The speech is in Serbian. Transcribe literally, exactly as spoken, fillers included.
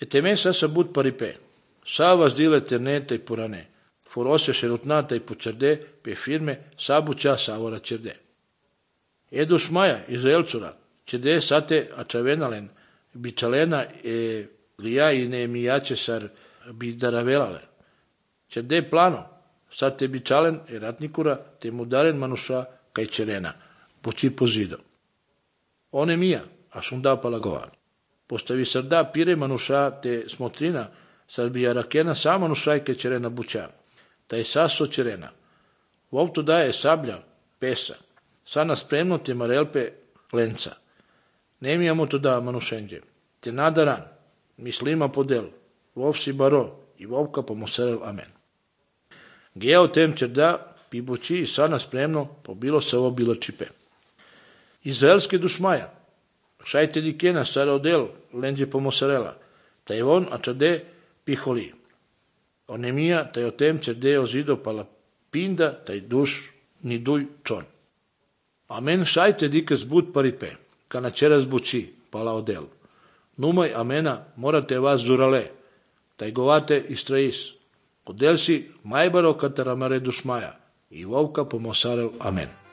E te sa sa but paripe. Savas dile ternete e purane. Forose šerutnata i pučerde pe firme sabuća savora čerde. Edus maja Izraelcura, čerde sate ačavenalen, bičalena e lija i neemijače sar bidaravelale. Čerde plano, sate bičalen e ratnikura te mudaren manuša kaj čerena, poči pozido. One mija, a sunda palagova. Postavi sarda pire manuša te smotrina, sar bijarakena sa manušaj kaj čerena buća. Taj saso čerena. Vovto daje sablja, pesa. Sana spremno te marelpe lenca. Nemijamo to da manušenđe. Te nadaran, mislima podel, vovsi baro i vovka pomosarel amen. Gejao tem čerda, pibući i sana spremno pobilo se ovo bilo čipe. Izraelske dušmaja. Šajte dikena sarodel lenđe pomosarela. Taj on a čade piholi. Onemija, taj o tem čerde ozido pala pinda, taj duš ni duj čon. Amen šajte dikas bud paripe, kana čeras bući, pala odel. Numaj amena morate vas zurale, taj govate istrais. Odel si majbaro kataramare dušmaja i vovka pomosarel amen.